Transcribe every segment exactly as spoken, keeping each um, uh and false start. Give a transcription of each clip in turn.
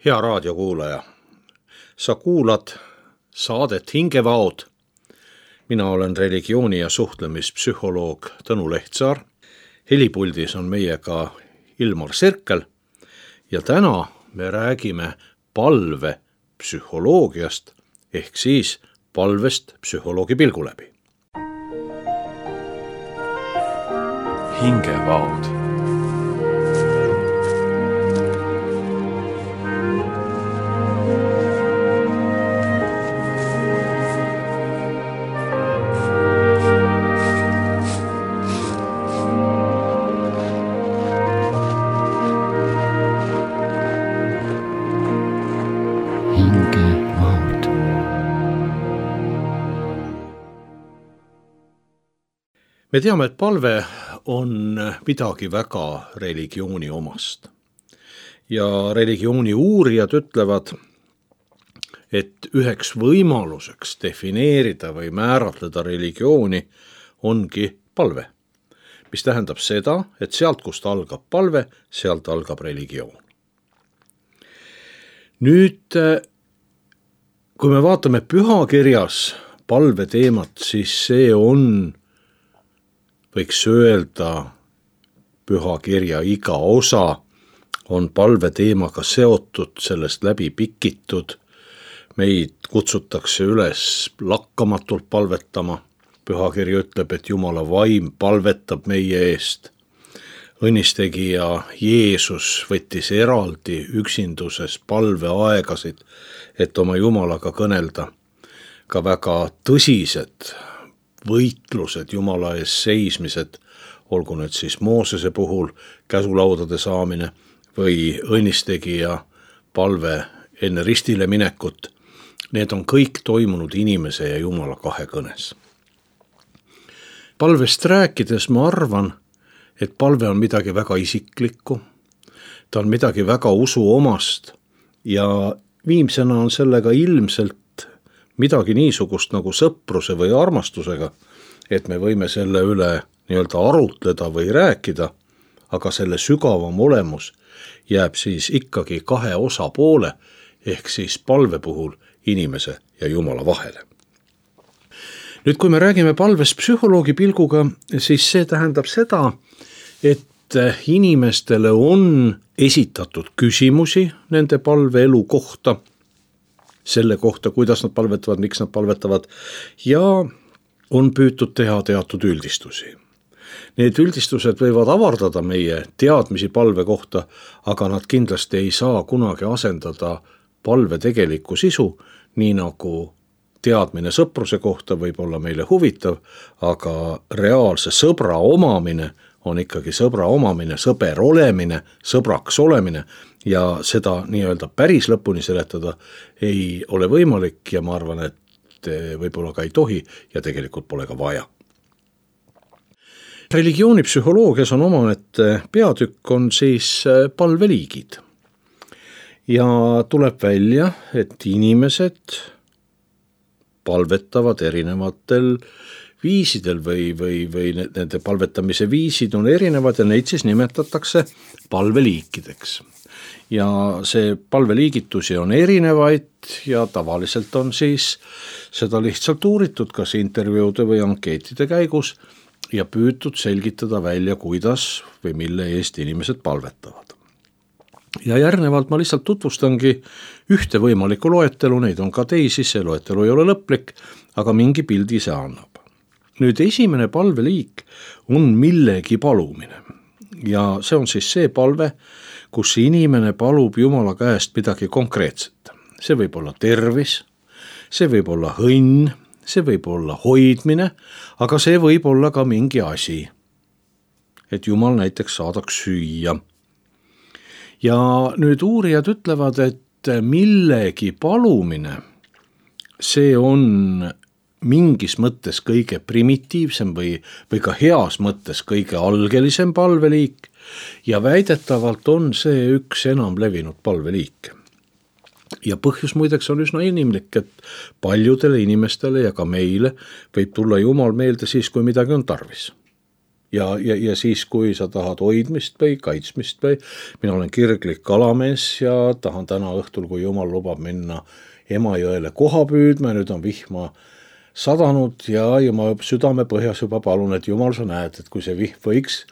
Hea raadiokuulaja, sa kuulad saadet Hingevaod. Mina olen religiooni- ja suhtlemispsühholoog Tõnu Lehtsaar. Helipuldis on meiega Ilmar Sirkel ja täna me räägime palvepsühholoogiast ehk siis palvest psühholoogi pilgu läbi. Hingevaod. Me teame, et palve on midagi väga religiooni omast. Ja religiooni uurijad ütlevad, et üheks võimaluseks defineerida või määratleda religiooni ongi palve. Mis tähendab seda, et sealt, kust algab palve, sealt algab religioon. Nüüd, kui me vaatame pühakirjas palve teemat, siis see on, võiks öelda, pühakirja iga osa on palve teemaga seotud, sellest läbi pikitud. Meid kutsutakse üles lakkamatult palvetama. Pühakiri ütleb, et Jumala vaim palvetab meie eest. Õnnistegija Jeesus võttis eraldi üksinduses palveaegasid, et oma Jumalaga kõnelda. Ka väga tõsised võitlused Jumala ees seismised, olgu nüüd siis Moosese puhul käsulaudade saamine või õnnistegija palve enne ristile minekut, need on kõik toimunud inimese ja Jumala kahe kõnes. Palvest rääkides ma arvan, et palve on midagi väga isiklikku, ta on midagi väga usuomast ja viimsena on sellega ilmselt midagi niisugust nagu sõpruse või armastusega, et me võime selle üle nii-öelda arutleda või rääkida, aga selle sügavam olemus jääb siis ikkagi kahe osapoole ehk siis palve puhul inimese ja Jumala vahele. Nüüd, kui me räägime palvest psühholoogi pilguga, siis see tähendab seda, et inimestele on esitatud küsimusi nende palveelu kohta, selle kohta, kuidas nad palvetavad, miks nad palvetavad ja on püütud teha teatud üldistusi. Need üldistused võivad avardada meie teadmisi palve kohta, aga nad kindlasti ei saa kunagi asendada palve tegelikku sisu, nii nagu teadmine sõpruse kohta võib olla meile huvitav, aga reaalse sõbra omamine on ikkagi sõbra omamine, sõber olemine, sõbraks olemine ja seda nii-öelda päris lõpuni seletada ei ole võimalik ja ma arvan, et võib-olla ka ei tohi ja tegelikult pole ka vaja. Religioonipsühholoogias on omaette peatükk on siis palveliigid ja tuleb välja, et inimesed palvetavad erinevatel viisidel või, või, või nende palvetamise viisid on erinevad ja neid siis nimetatakse palveliikideks. Ja see palveliigitusi on erinevaid ja tavaliselt on siis seda lihtsalt uuritud kas intervjuude või ankeetide käigus ja püütud selgitada välja, kuidas või mille eest inimesed palvetavad. Ja järgnevalt ma lihtsalt tutvustangi ühte võimalikku loetelu, neid on ka teisi, see loetelu ei ole lõplik, aga mingi pildi see annab. Nüüd esimene palveliik on millegi palumine ja see on siis see palve, kus inimene palub Jumala käest midagi konkreetset. See võib olla tervis, see võib olla õnn, see võib olla hoidmine, aga see võib olla ka mingi asi, et Jumal näiteks saadaks süüa. Ja nüüd uurijad ütlevad, et millegi palumine, see on mingis mõttes kõige primitiivsem või, või ka heas mõttes kõige algelisem palveliik ja väidetavalt on see üks enam levinud palveliik. Ja põhjus muideks on üsna inimlik, et paljudele inimestele ja ka meile võib tulla Jumal meelde siis, kui midagi on tarvis. Ja, ja, ja siis, kui sa tahad hoidmist või kaitsmist või mina olen kirglik kalamees ja tahan täna õhtul, kui Jumal lubab minna Emajõele koha püüdma, nüüd on vihma sadanud ja, ja ma südame põhjas juba palun, et Jumal, sa näed, et kui see vihm võiks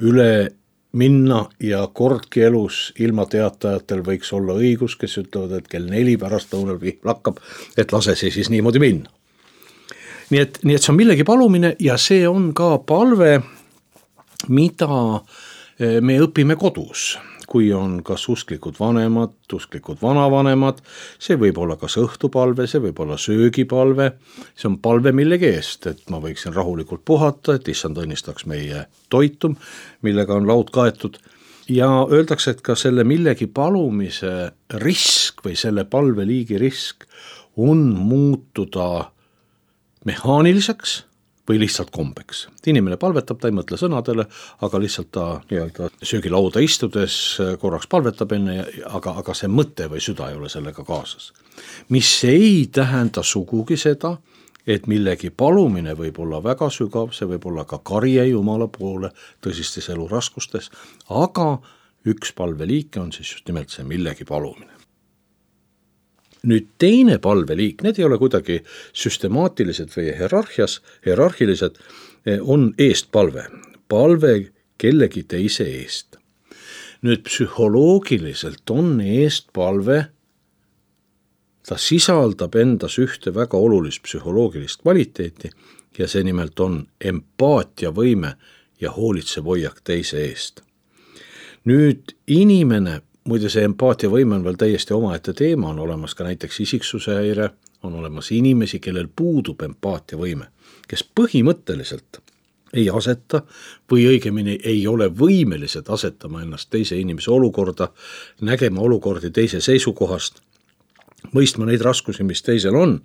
üle minna ja kordki elus ilma teatajatel võiks olla õigus, kes ütlevad, et kell neli pärast lõunal vihm lakkab, et lase see siis niimoodi minna. Nii et, nii et see on millegi palumine ja see on ka palve, mida me õpime kodus, kui on kas usklikud vanemad, usklikud vanavanemad, see võib olla kas õhtupalve, see võib olla söögipalve, see on palve millegi eest, et ma võiksin rahulikult puhata, et issand õnnistaks meie toitum, millega on laud kaetud ja öeldakse, et ka selle millegi palumise risk või selle palveliigi risk on muutuda mehaaniliseks või lihtsalt kombeks. Inimene palvetab, ta ei mõtle sõnadele, aga lihtsalt ta nii-öelda söögilauda istudes korraks palvetab enne, aga, aga see mõte või süda ei ole sellega kaasas. Mis ei tähenda sugugi seda, et millegi palumine võib olla väga sügav, see võib olla ka karje Jumala poole tõsistes eluraskustes, aga üks palveliike on siis just nimelt see millegi palumine. Nüüd teine palveliik, need ei ole kuidagi süstemaatilised või hierarhias, hierarhilised, on eestpalve. Palve kellegi teise eest. Nüüd psühholoogiliselt on eestpalve, ta sisaldab endas ühte väga olulist psühholoogilist kvaliteeti ja see nimelt on empaatiavõime ja hoolitsev hoiak teise eest. Nüüd inimene, muide see empaatiavõime on veel täiesti omaette teema, on olemas ka näiteks isiksuse häire, on olemas inimesi, kellel puudub empaatiavõime, kes põhimõtteliselt ei aseta või õigemini ei ole võimelised asetama ennast teise inimese olukorda, nägema olukordi teise seisukohast, mõistma neid raskusi, mis teisel on,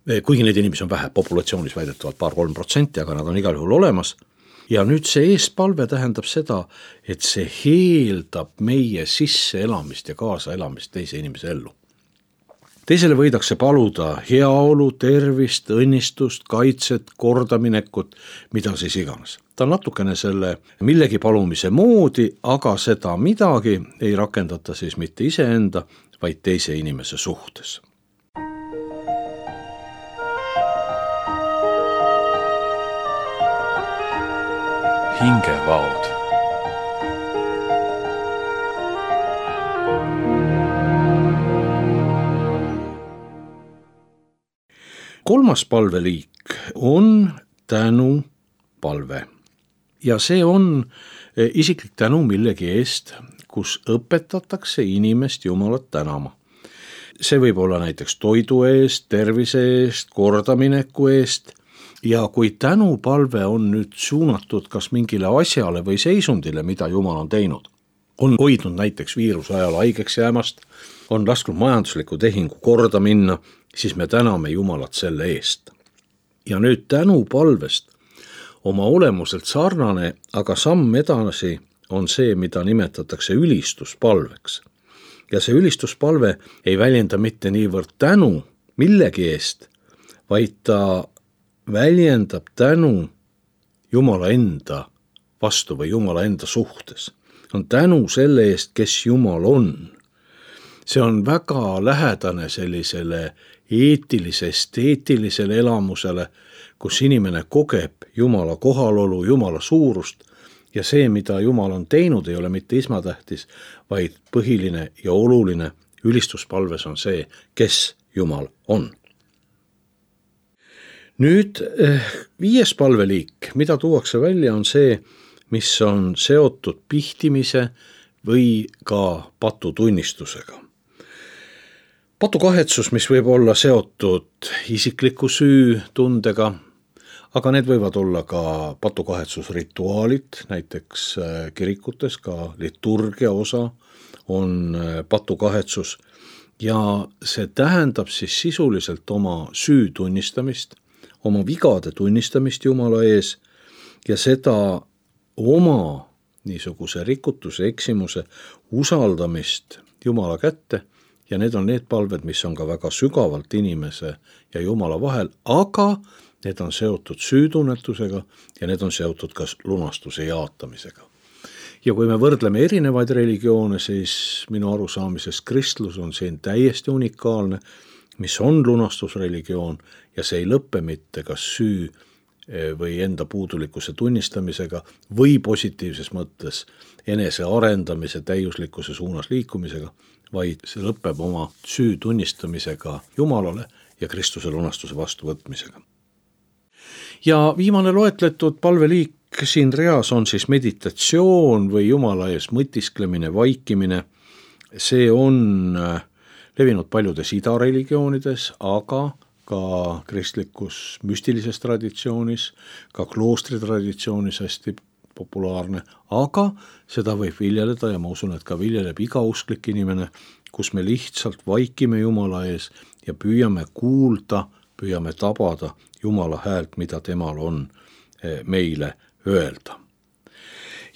kuigi neid inimesi on vähe, populatsioonis väidetavalt paar-kolm protsenti, aga nad on igal juhul olemas. Ja nüüd see eestpalve tähendab seda, et see heeldab meie sisse elamist ja kaasa elamist teise inimese ellu. Teisele võidakse paluda heaolu, tervist, õnnistust, kaitset, kordaminekut, mida siis iganes. Ta on natukene selle millegi palumise moodi, aga seda midagi ei rakendata siis mitte iseenda, vaid teise inimese suhtes. Hingevaod. Kolmas palveliik on tänupalve ja see on isiklik tänu millegi eest, kus õpetatakse inimest Jumalat tänama. See võib olla näiteks toidu eest, tervise eest, kordamineku eest. Ja kui tänupalve on nüüd suunatud kas mingile asjale või seisundile, mida Jumal on teinud, on hoidnud näiteks viiruse ajal haigeks jäämast, on lasknud majandusliku tehingu korda minna, siis me täname Jumalat selle eest. Ja nüüd tänupalvest oma olemuselt sarnane, aga samm edasi on see, mida nimetatakse ülistuspalveks. Ja see ülistuspalve ei väljenda mitte niivõrd tänu millegi eest, vaid ta väljendab tänu Jumala enda vastu või Jumala enda suhtes. On tänu selle eest, kes Jumal on. See on väga lähedane sellisele eetilise, esteetilisele elamusele, kus inimene kogeb Jumala kohalolu, Jumala suurust ja see, mida Jumal on teinud, ei ole mitte esmatähtis, vaid põhiline ja oluline ülistuspalves on see, kes Jumal on. Nüüd viies palveliik, mida tuuakse välja, on see, mis on seotud pihtimise või ka patutunnistusega. Patukahetsus, mis võib olla seotud isikliku süü tundega, aga need võivad olla ka patukahetsusrituaalid, näiteks kirikutes ka liturgia osa on patukahetsus ja see tähendab siis sisuliselt oma süü tunnistamist, oma vigade tunnistamist Jumala ees ja seda oma niisuguse rikutuse, eksimuse usaldamist Jumala kätte ja need on need palved, mis on ka väga sügavalt inimese ja Jumala vahel, aga need on seotud süütunnetusega ja need on seotud ka lunastuse jaatamisega. Ja kui me võrdleme erinevaid religioone, siis minu arusaamises kristlus on siin täiesti unikaalne, mis on lunastusreligioon ja see ei lõppe mitte kas süü või enda puudulikkuse tunnistamisega või positiivses mõttes enese arendamise täiuslikkuse suunas liikumisega, vaid see lõpeb oma süü tunnistamisega Jumalale ja Kristuse lunastuse vastuvõtmisega. Ja viimane loetletud palveliik siin reas on siis meditatsioon või Jumala ees mõtisklemine, vaikimine. See on levinud paljudes idareligioonides, aga ka kristlikus müstilises traditsioonis, ka kloostri traditsioonis hästi populaarne, aga seda võib viljeleda ja ma usun, et ka viljeleb iga usklik inimene, kus me lihtsalt vaikime Jumala ees ja püüame kuulda, püüame tabada Jumala häält, mida temal on meile öelda.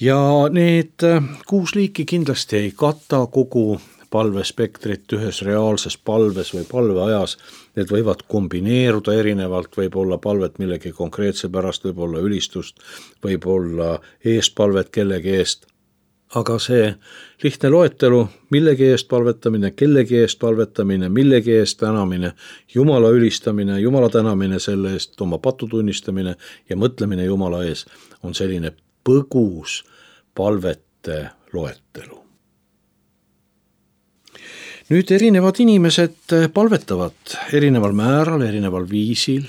Ja need kuus liiki kindlasti ei kata kogu palvespektrit ühes reaalses palves või palveajas, need võivad kombineeruda erinevalt, võib olla palvet millegi konkreetse pärast, võib olla ülistust, võib olla eestpalvet kellegi eest. Aga see lihtne loetelu, millegi eest palvetamine, kellegi eest palvetamine, millegi eest tänamine, Jumala ülistamine, Jumala tänamine selle eest, oma patu tunnistamine ja mõtlemine Jumala ees on selline põgus palvete loetelu. Nüüd erinevad inimesed palvetavad erineval määral, erineval viisil.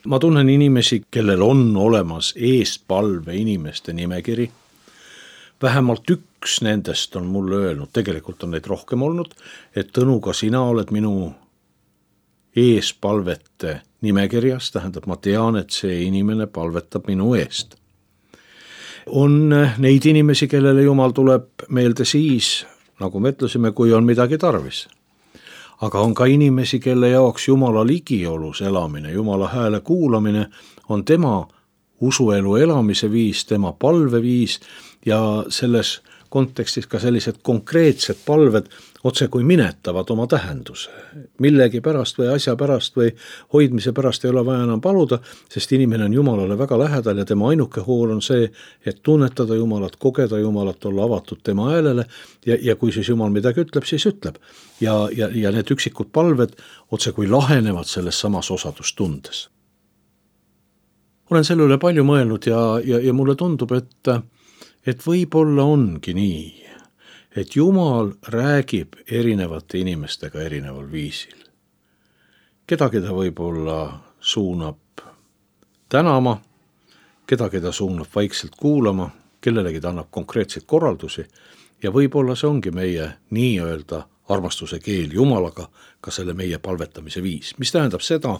Ma tunnen inimesi, kellel on olemas eestpalve inimeste nimekiri. Vähemalt üks nendest on mulle öelnud, tegelikult on neid rohkem olnud, et Tõnu, ka sina oled minu eespalvete nimekirjas, tähendab, ma tean, et see inimene palvetab minu eest. On neid inimesi, kellele Jumal tuleb meelde siis, nagu me ütlesime, kui on midagi tarvis. Aga on ka inimesi, kelle jaoks Jumala ligiolus elamine, Jumala hääle kuulamine on tema usuelu elamise viis, tema palveviis ja selles kontekstis ka sellised konkreetsed palved otse kui minetavad oma tähenduse. Millegi pärast või asja pärast või hoidmise pärast ei ole vaja enam paluda, sest inimene on Jumalale väga lähedal ja tema ainuke hool on see, et tunnetada Jumalat, kogeda Jumalat, olla avatud tema häälele ja, ja kui siis Jumal midagi ütleb, siis ütleb. Ja, ja, ja need üksikud palved otse kui lahenevad selles samas osadustundes. Olen selle üle palju mõelnud ja, ja, ja mulle tundub, et, et võib-olla ongi nii, et Jumal räägib erinevate inimestega erineval viisil. Kedagi ta võib-olla suunab tänama, kedagi ta suunab vaikselt kuulama, kellelegi ta annab konkreetseid korraldusi ja võib-olla see ongi meie nii-öelda armastuse keel Jumalaga, ka selle meie palvetamise viis. Mis tähendab seda,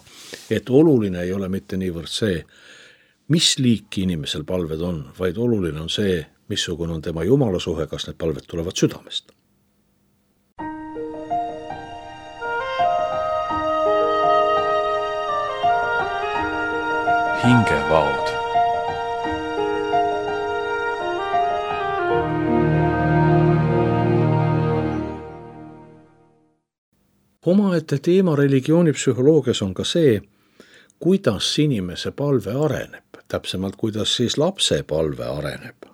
et oluline ei ole mitte niivõrd see, mis liiki inimesel palved on, vaid oluline on see, missugune on tema Jumala suhe, kas need palved tulevad südamest. Hingevaod. Omaette teema religioonipsühholoogias on ka see, kuidas inimese palve areneb, täpsemalt kuidas siis lapse palve areneb.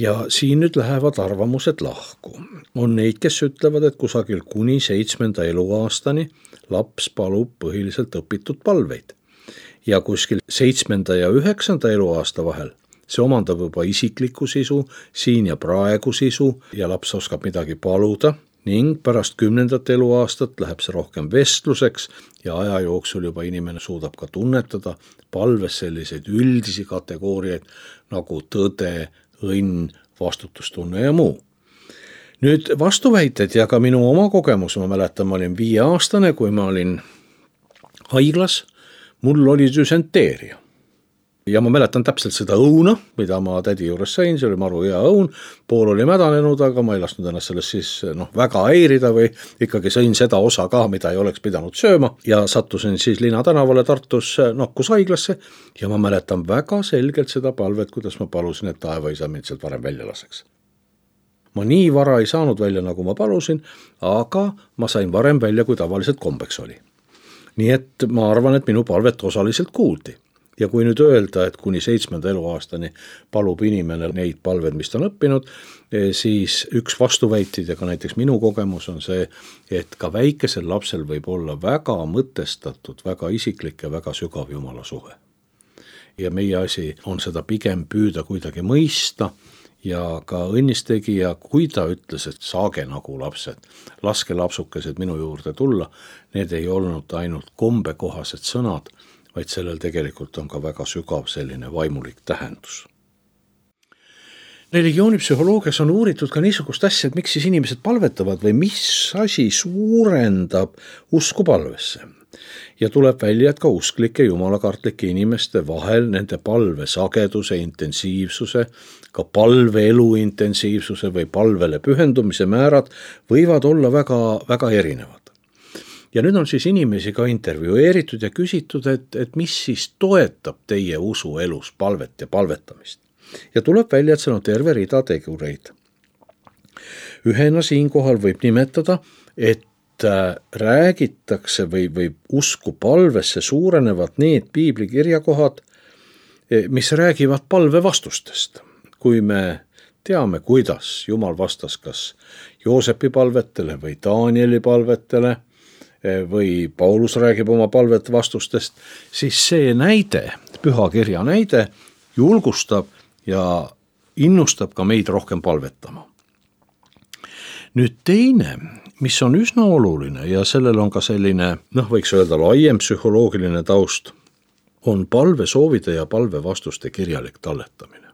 Ja siin nüüd lähevad arvamused lahku. On neid, kes ütlevad, et kusagil kuni seitsmenda eluaastani laps palub põhiliselt õpitud palveid. Ja kuskil seitsmenda ja üheksanda eluaasta vahel see omandab juba isikliku sisu, siin ja praegu sisu ja laps oskab midagi paluda ning pärast kümnendat eluaastat läheb see rohkem vestluseks ja aja jooksul juba inimene suudab ka tunnetada palves selliseid üldisi kategooriaid nagu tõde, õnn, vastutustunne ja muu. Nüüd vastuväited ja ka minu oma kogemus, ma mäletan, ma olin viieaastane, kui ma olin haiglas, mul oli düsenteeria. Ja ma mäletan täpselt seda õuna, mida ma tädi juures sain, see oli maru hea õun, pool oli mädanenud, aga ma ei lasknud ennast sellest siis noh, väga häirida või ikkagi sõin seda osa ka, mida ei oleks pidanud sööma ja sattusin siis Lina tänavale Tartus nakkushaiglasse ja ma mäletan väga selgelt seda palvet, kuidas ma palusin, et taevaisa mind sealt varem välja laseks. Ma nii vara ei saanud välja, nagu ma palusin, aga ma sain varem välja, kui tavaliselt kombeks oli. nii et ma arvan, et minu palvet osaliselt kuuldi. Ja kui nüüd öelda, et kuni seitsmenda eluaastani palub inimene neid palved, mis ta on õppinud, siis üks vastuväitid ja ka näiteks minu kogemus on see, et ka väikesel lapsel võib olla väga mõtestatud, väga isiklik ja väga sügav Jumala suhe. Ja meie asi on seda pigem püüda kuidagi mõista ja ka õnnistegija, kui ta ütles, et saage nagu lapsed, laske lapsukesed minu juurde tulla, need ei olnud ainult kombekohased sõnad, vaid sellel tegelikult on ka väga sügav selline vaimulik tähendus. Religioonipsühholoogias on uuritud ka niisugust asja, et miks siis inimesed palvetavad või mis asi suurendab usku palvesse. Ja tuleb välja, et ka usklike jumalakartlike inimeste vahel nende palve sageduse, intensiivsuse, ka palveelu intensiivsuse või palvele pühendumise määrad võivad olla väga, väga erinevad. Ja nüüd on siis inimesi ka intervjueeritud ja küsitud, et, et mis siis toetab teie usuelus palvet ja palvetamist. Ja tuleb välja, et see on terve rida tegureid. Ühena siinkohal võib nimetada, et räägitakse või, või usku palvesse suurenevad need piiblikirjakohad, mis räägivad palve vastustest. Kui me teame, kuidas Jumal vastas kas Joosepi palvetele või Danieli palvetele, või Paulus räägib oma palvet vastustest, siis see näide, pühakirja näide, julgustab ja innustab ka meid rohkem palvetama. Nüüd teine, mis on üsna oluline ja sellel on ka selline, noh võiks öelda laiem psühholoogiline taust, on palve soovide ja palve vastuste kirjalik talletamine.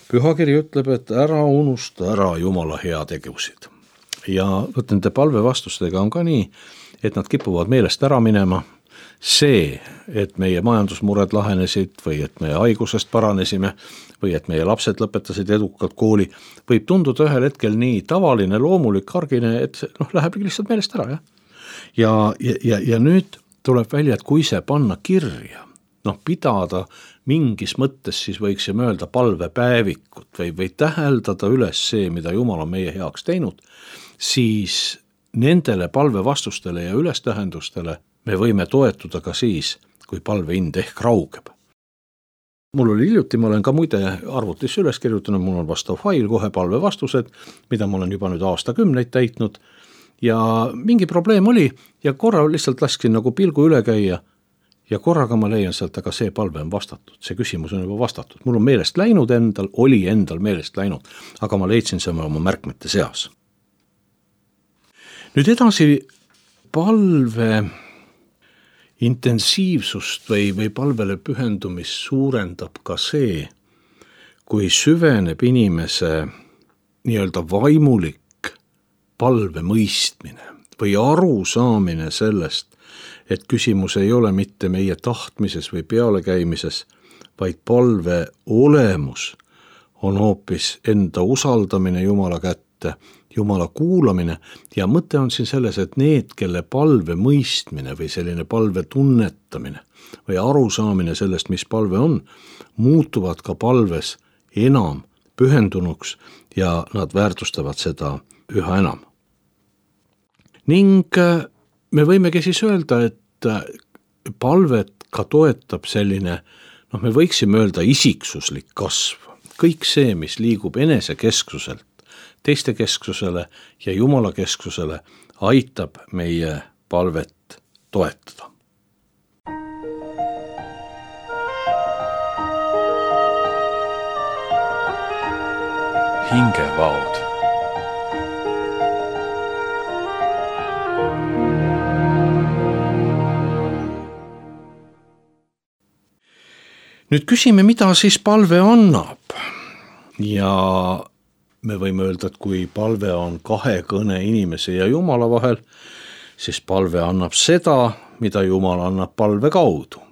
Pühakiri ütleb, et ära unusta ära Jumala heategusid. Ja võt nende palve vastustega on ka nii, et nad kipuvad meelest ära minema. See, et meie majandusmured lahenesid või et meie haigusest paranesime või et meie lapsed lõpetasid edukalt kooli, võib tunduda ühel hetkel nii tavaline, loomulik, argine, et noh, läheb lihtsalt meelest ära. Ja, ja, ja, ja nüüd tuleb välja, et kui see panna kirja, noh pidada mingis mõttes, siis võiksime öelda palvepäevikut või, või täheldada üles see, mida Jumal on meie heaks teinud, siis nendele palvevastustele ja ülestähendustele me võime toetuda ka siis, kui palvehind ehk raugeb. Mul oli hiljuti, ma olen ka muide arvutisse üles kirjutanud, mul on vastav fail, kohe palvevastused, mida ma olen juba nüüd aastakümneid täitnud ja mingi probleem oli ja korra lihtsalt lasksin nagu pilgu üle käia ja korraga ma leian sealt, aga see palve on vastatud, see küsimus on juba vastatud. Mul on meelest läinud endal, oli endal meelest läinud, aga ma leidsin selle oma märkmete seas. Nüüd edasi palve intensiivsust või, või palvele pühendumist suurendab ka see, kui süveneb inimese nii-öelda vaimulik palve mõistmine või arusaamine sellest, et küsimus ei ole mitte meie tahtmises või pealekäimises, vaid palve olemus on hoopis enda usaldamine Jumala kätte, Jumala kuulamine ja mõte on siin selles, et need, kelle palve mõistmine või selline palve tunnetamine või arusaamine sellest, mis palve on, muutuvad ka palves enam pühendunuks ja nad väärtustavad seda üha enam. Ning me võimegi siis öelda, et palvet ka toetab selline, noh me võiksime öelda isiksuslik kasv. Kõik see, mis liigub enesekesksuselt teiste kesksusele ja Jumala kesksusele, aitab meie palvet toetada. Hingevaod. Nüüd küsime, mida siis palve annab. Ja me võime öelda, et kui palve on kahekõne inimese ja Jumala vahel, siis palve annab seda, mida Jumal annab palve kaudu.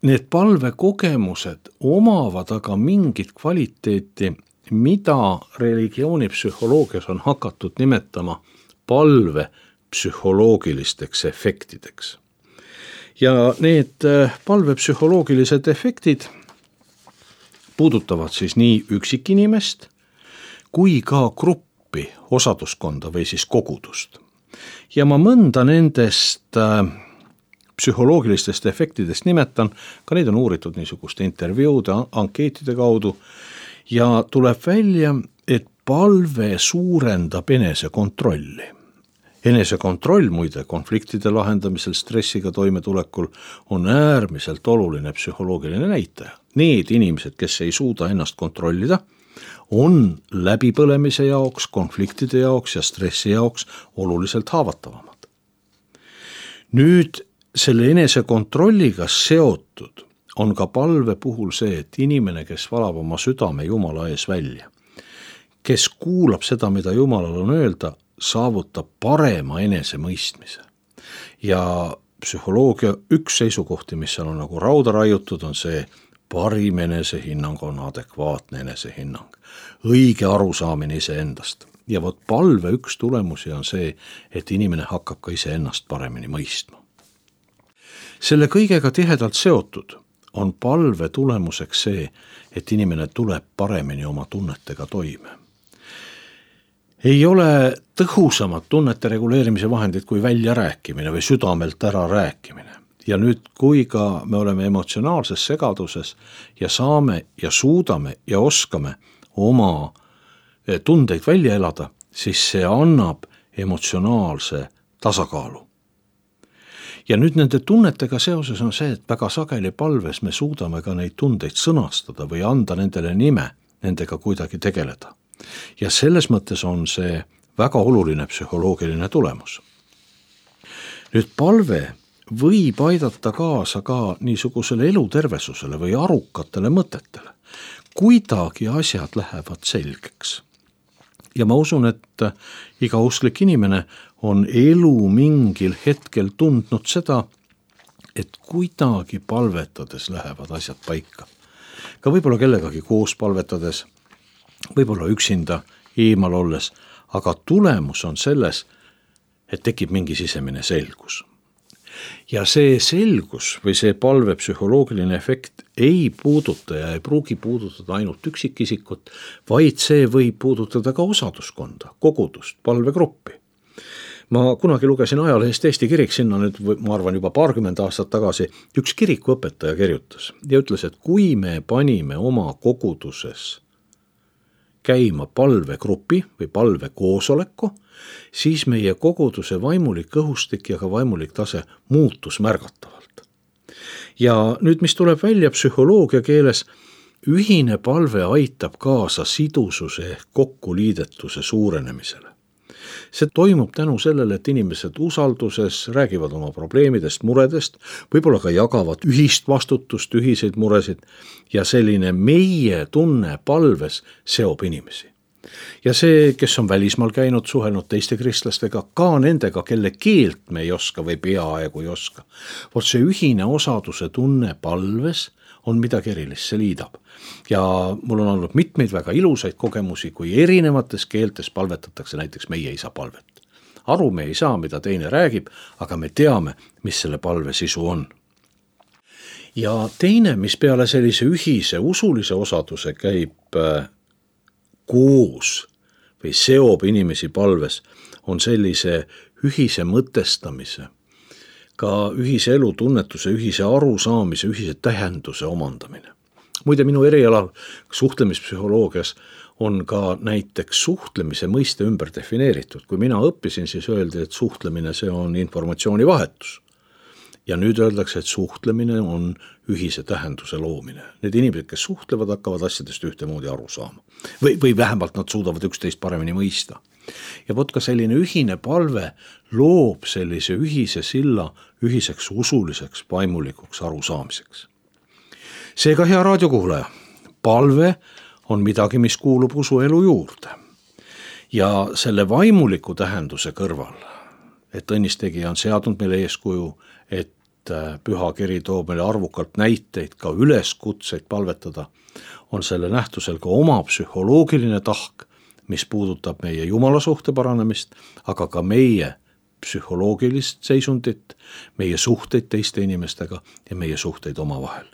Need palvekogemused omavad aga mingit kvaliteeti, mida religioonipsühholoogias on hakatud nimetama palve psühholoogilisteks efektideks. Ja need palvepsühholoogilised efektid puudutavad siis nii üksikinimest kui ka gruppi, osaduskonda või siis kogudust. ja ma mõnda nendest äh, psühholoogilistest efektidest nimetan, ka neid on uuritud niisuguste intervjuude, ankeetide kaudu ja tuleb välja, et palve suurendab enesekontrolli. Enesekontroll muide konfliktide lahendamisel, stressiga toimetulekul on äärmiselt oluline psühholoogiline näitaja. Need inimesed, kes ei suuda ennast kontrollida, on läbipõlemise jaoks, konfliktide jaoks ja stressi jaoks oluliselt haavatavamad. Nüüd selle enesekontrolliga seotud on ka palve puhul see, et inimene, kes valab oma südame Jumala ees välja, kes kuulab seda, mida Jumalal on öelda, saavutab parema enesemõistmise. Ja psühholoogia üks seisukohti, mis seal on nagu rauda raiutud, on see, parim enesehinnang on adekvaatne enesehinnang, õige arusaamine iseendast. Ja vot palve üks tulemusi on see, et inimene hakkab ka iseennast paremini mõistma. Selle kõigega tihedalt seotud on palve tulemuseks see, et inimene tuleb paremini oma tunnetega toime. Ei ole tõhusamat tunnete reguleerimise vahendid kui väljarääkimine või südamelt ära rääkimine. Ja nüüd, kui ka me oleme emotsionaalses segaduses ja saame ja suudame ja oskame oma tundeid välja elada, siis see annab emotsionaalse tasakaalu. Ja nüüd nende tunnetega seoses on see, et väga sageli palves me suudame ka neid tundeid sõnastada või anda nendele nime, nendega kuidagi tegeleda. Ja selles mõttes on see väga oluline psühholoogiline tulemus. Nüüd palve võib aidata kaasa ka niisugusele elutervesusele või arukatele mõtetele. Kuidagi asjad lähevad selgeks. Ja ma usun, et iga usklik inimene on elu mingil hetkel tundnud seda, et kuidagi palvetades lähevad asjad paika. Ka võib-olla kellegagi koos palvetades, võib-olla üksinda eemal olles, aga tulemus on selles, et tekib mingi sisemine selgus. Ja see selgus või see palve psühholoogiline efekt ei puuduta ja ei pruugi puudutada ainult üksikisikut, vaid see võib puudutada ka osaduskonda, kogudust, palvegruppi. Ma kunagi lugesin ajalehest Eesti kirik, sinna nüüd, ma arvan, juba paarkümmend aastat tagasi, üks kirikuõpetaja kirjutas ja ütles, et kui me panime oma koguduses käima palvegrupi või palvekoosoleku, siis meie koguduse vaimulik õhustik ja ka vaimulik tase muutus märgatavalt. Ja nüüd, mis tuleb välja psühholoogia keeles, ühine palve aitab kaasa sidususe ehk kokkuliidetuse suurenemisele. See toimub tänu sellele, et inimesed usalduses räägivad oma probleemidest, muredest, võib-olla ka jagavad ühist vastutust, ühiseid muresid ja selline meie tunne palves seob inimesi. Ja see, kes on välismaal käinud, suhelnud teiste kristlastega, ka nendega, kelle keelt me ei oska või peaaegu ei oska. Vot see ühine osaduse tunne palves on midagi erilist, see liidab. Ja mul on olnud mitmeid väga ilusaid kogemusi, kui erinevates keeltes palvetatakse näiteks meie isa palvet. Aru me ei saa, mida teine räägib, aga me teame, mis selle palve sisu on. Ja teine, mis peale sellise ühise usulise osaduse käib koos või seob inimesi palves, on sellise ühise mõtestamise, ka ühise elutunnetuse, ühise arusaamise, ühise tähenduse omandamine. Muide, minu erialal suhtlemispsühholoogias on ka näiteks suhtlemise mõiste ümber defineeritud. Kui mina õppisin, siis öeldi, et suhtlemine see on informatsiooni vahetus. Ja nüüd öeldakse, et suhtlemine on ühise tähenduse loomine. Need inimesed, kes suhtlevad, hakkavad asjadest ühtemoodi aru saama. Või, või vähemalt nad suudavad üksteist paremini mõista. Ja vot ka selline ühine palve loob sellise ühise silla ühiseks usuliseks vaimulikuks arusaamiseks. Seega, hea raadiokuulaja, palve on midagi, mis kuulub usuelu juurde. Ja selle vaimuliku tähenduse kõrval, et õnnistegija on seadnud meile eeskuju, et püha kiri toob meile arvukalt näiteid, ka üleskutseid palvetada, on selle nähtusel ka oma psühholoogiline tahk, mis puudutab meie Jumala suhte paranemist, aga ka meie psühholoogilist seisundit, meie suhteid teiste inimestega ja meie suhteid omavahel.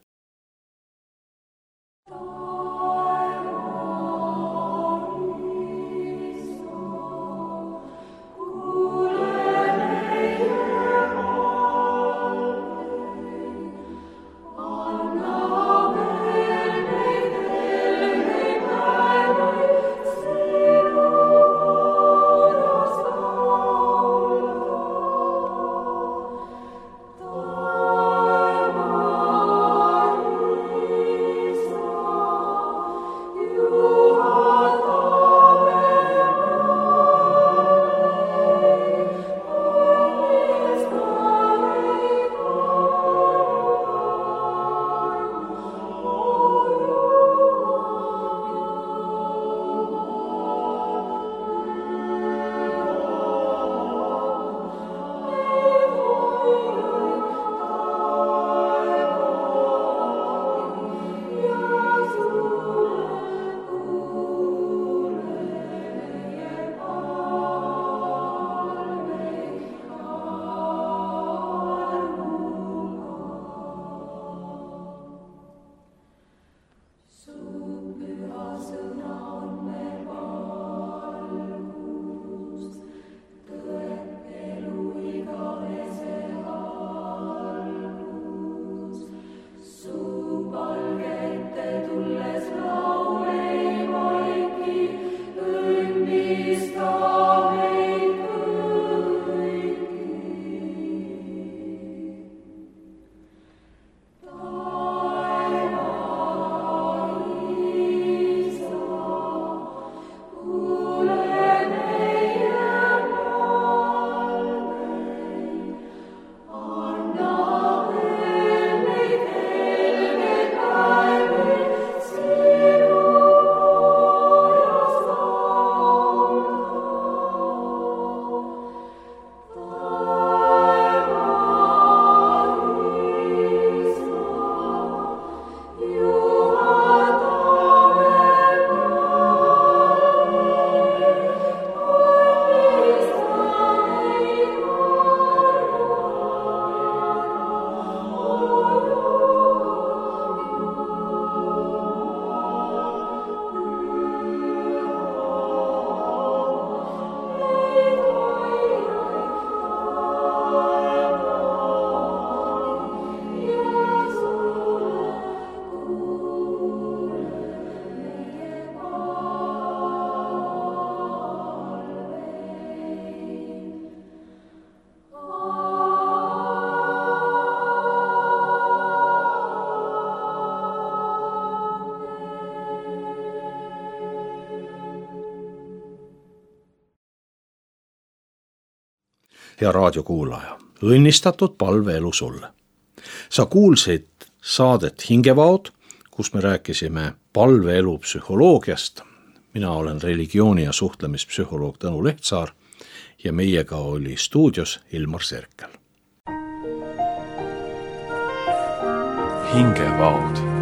Hea raadiokuulaja, õnnistatud palveelu sulle. Sa kuulsid saadet Hingevaod, kus me rääkisime palveelu psühholoogiast. Mina olen religiooni- ja suhtlemispsühholoog Tõnu Lehtsaar ja meiega oli stuudios Ilmar Serkel. Hingevaod.